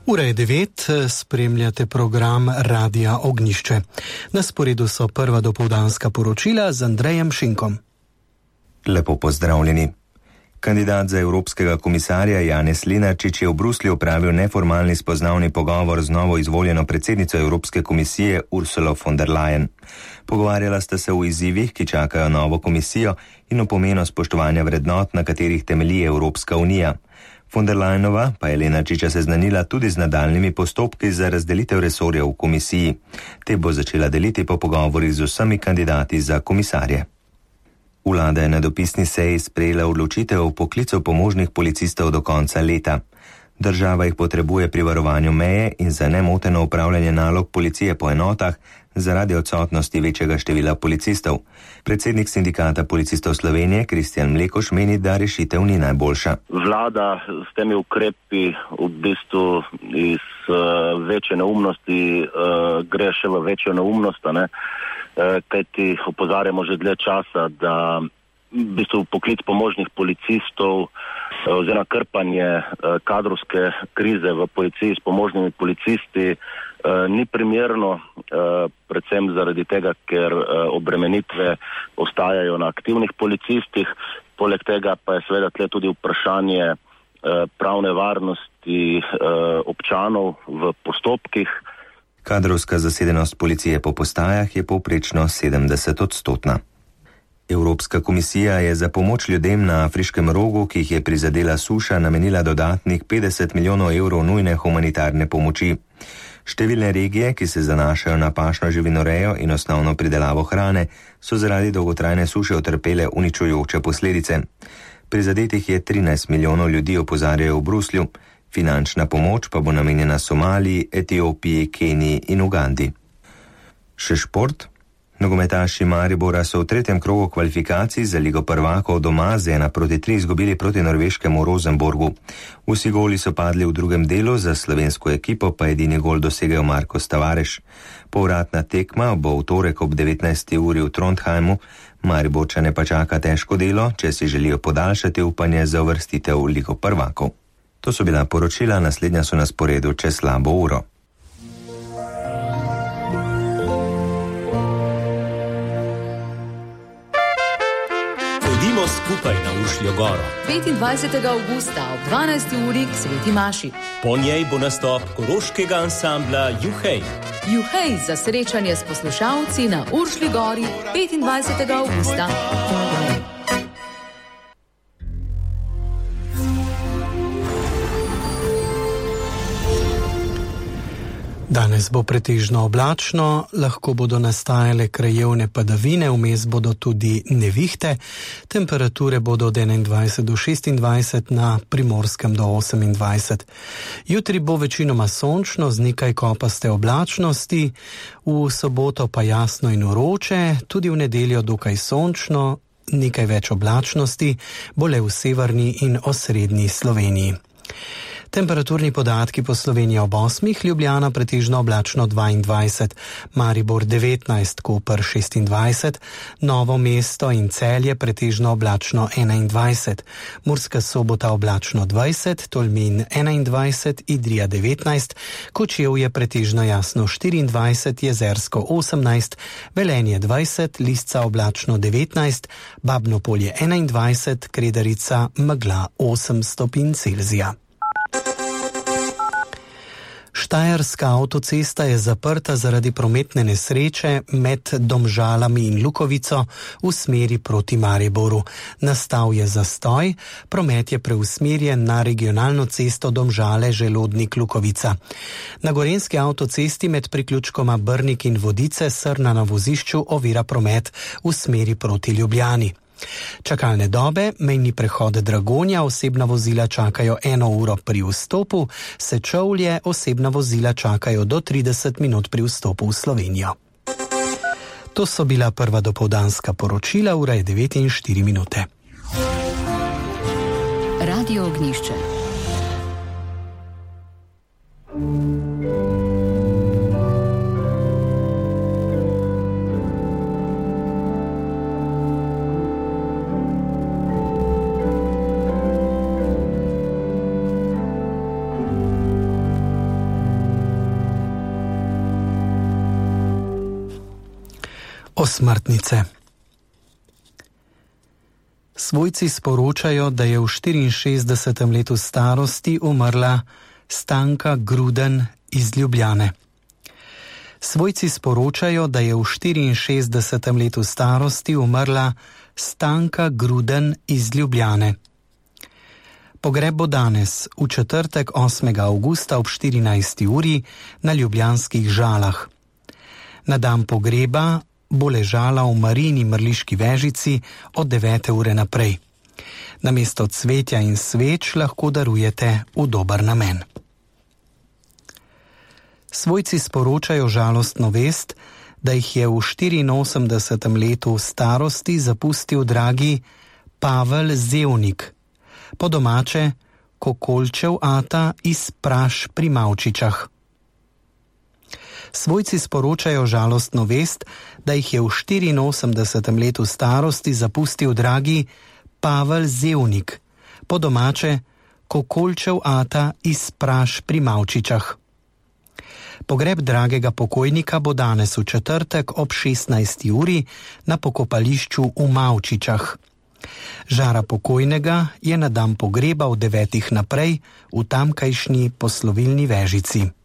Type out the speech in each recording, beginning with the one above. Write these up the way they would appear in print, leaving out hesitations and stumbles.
Ura je 9, spremljate program Radia Ognjišče. Na sporedu so prva dopoldanska poročila z Andrejem Šinkom. Lepo pozdravljeni. Kandidat za evropskega komisarja Janez Lenarčič je v Bruslju opravil neformalni spoznavni pogovor z novo izvoljeno predsednico Evropske komisije Ursulo von der Leyen. Pogovarjala sta se o izzivih, ki čakajo novo komisijo, in o pomenu spoštovanja vrednot, na katerih temelji Evropska unija. Von der Leyenova pa je Lenarčiča seznanila tudi z nadaljnimi postopki za razdelitev resorjev v komisiji. Te bo začela deliti po pogovorih z vsemi kandidati za komisarje. Vlada je na dopisni seji sprejela odločitev o poklicu pomožnih policistov do konca leta. Država jih potrebuje pri varovanju meje in za nemoteno upravljanje nalog policije po enotah zaradi odsotnosti večjega števila policistov. Predsednik sindikata policistov Slovenije Kristjan Mlekoš meni, da rešitev ni najboljša. Vlada s temi ukrepi v bistvu iz večje neumnosti gre še v večjo neumnost, kajti opozarjamo že dlje časa, da v bistvu poklic pomožnih policistov oziroma krpanje kadrovske krize v policiji s pomožnimi policisti ni primerno, predvsem zaradi tega, ker obremenitve ostajajo na aktivnih policistih. Poleg tega pa je seveda tle tudi vprašanje pravne varnosti občanov v postopkih. Kadrovska zasedenost policije po postajah je povprečno 70-odstotna. Evropska komisija je za pomoč ljudem na Afriškem rogu, ki jih je prizadela suša, namenila dodatnih 50 milijonov evrov nujne humanitarne pomoči. Številne regije, ki se zanašajo na pašno živinorejo in osnovno pridelavo hrane, so zaradi dolgotrajne suše utrpele uničujoče posledice. Prizadetih je 13 milijonov ljudi, opozarjajo v Bruslju. Finančna pomoč pa bo namenjena Somaliji, Etiopiji, Keniji in Ugandi. Še šport. Nogometaši Maribora so v tretjem krogu kvalifikacij za Ligo prvakov doma z 1-3 izgubili proti norveškemu Rosenborgu. Vsi goli so padli v drugem delu, za slovensko ekipo pa edini gol dosegel Marko Tavares. Povratna tekma bo v torek ob 19. uri v Trondheimu. Mariborčane pa čaka težko delo, če si želijo podaljšati upanje za uvrstitev v Ligo prvakov. To so bila poročila, naslednja so na sporedu čez slabo uro. Pojdimo skupaj na Uršljo goro. 25. avgusta ob 12. uri k Sveti Maši. Po njej bo nastop koroškega ansambla Juhej. Juhej za srečanje s poslušalci na Uršlji gori 25. avgusta. Danes bo pretežno oblačno, lahko bodo nastajale krajevne padavine, vmes bodo tudi nevihte. Temperature bodo od 21 do 26, na Primorskem do 28. Jutri bo večinoma sončno z nekaj kopaste oblačnosti, v soboto pa jasno in vroče, tudi v nedeljo dokaj sončno, nekaj več oblačnosti, bo le v severni in osrednji Sloveniji. Temperaturni podatki po Sloveniji ob 8, Ljubljana pretežno oblačno 22, Maribor 19, Koper 26, Novo mesto in Celje pretežno oblačno 21, Murska Sobota oblačno 20, Tolmin 21, Idrija 19, Kočevje pretežno jasno 24, Jezersko 18, Velenje 20, Lisca oblačno 19, Babnopolje 21, Kredarica megla 8 stopinj Celzija. Štajerska avtocesta je zaprta zaradi prometne nesreče med Domžalami in Lukovico v smeri proti Mariboru. Nastal je zastoj, promet je preusmerjen na regionalno cesto Domžale-Želodnik-Lukovica. Na gorenjski avtocesti med priključkoma Brnik in Vodice Srna na vozišču ovira promet v smeri proti Ljubljani. Čakalne dobe, mejni prehod Dragonja, osebna vozila čakajo 1 uro pri vstopu, Sečovlje, osebna vozila čakajo do 30 minut pri vstopu v Slovenijo. To so bila prva dopoldanska poročila, ura je 9:04. Radio Ognjišče. Osmrtnice. Svojci sporočajo, da je v 64. letu starosti umrla Stanka Gruden iz Ljubljane. Svojci sporočajo, da je v 64. letu starosti umrla Stanka Gruden iz Ljubljane. Pogreb bo danes, v četrtek 8. avgusta ob 14. uri na ljubljanskih Žalah. Na dan pogreba bo ležala v Marijini mrliški vežici od 9. ure naprej. Namesto cvetja in sveč lahko darujete v dober namen. Svojci sporočajo žalostno vest, da jih je v 84. letu starosti zapustil dragi Pavel Zevnik, po domače Kokolčev ata iz Praš pri Mavčičah. Svojci sporočajo žalostno vest, da jih je v 84. letu starosti zapustil dragi Pavel Zevnik, po domače Kokolčev ata iz Praš pri Mavčičah. Pogreb dragega pokojnika bo danes v četrtek ob 16. uri na pokopališču v Mavčičah. Žara pokojnega je na dan pogreba od 9. naprej v tamkajšnji poslovilni vežici.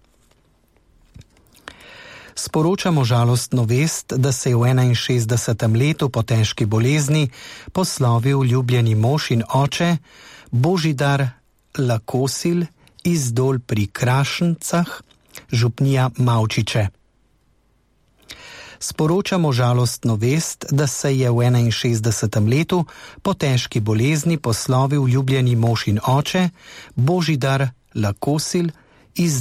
Sporočamo žalostno vest, da se je v 61. letu po težki bolezni poslovil ljubljeni mož in oče Božidar Lakosil iz Dol pri Krašencah, župnija Mavčiče. Sporočamo žalostno vest, da se je v 61. letu po težki bolezni poslovil ljubljeni mož in oče Božidar Lakosil iz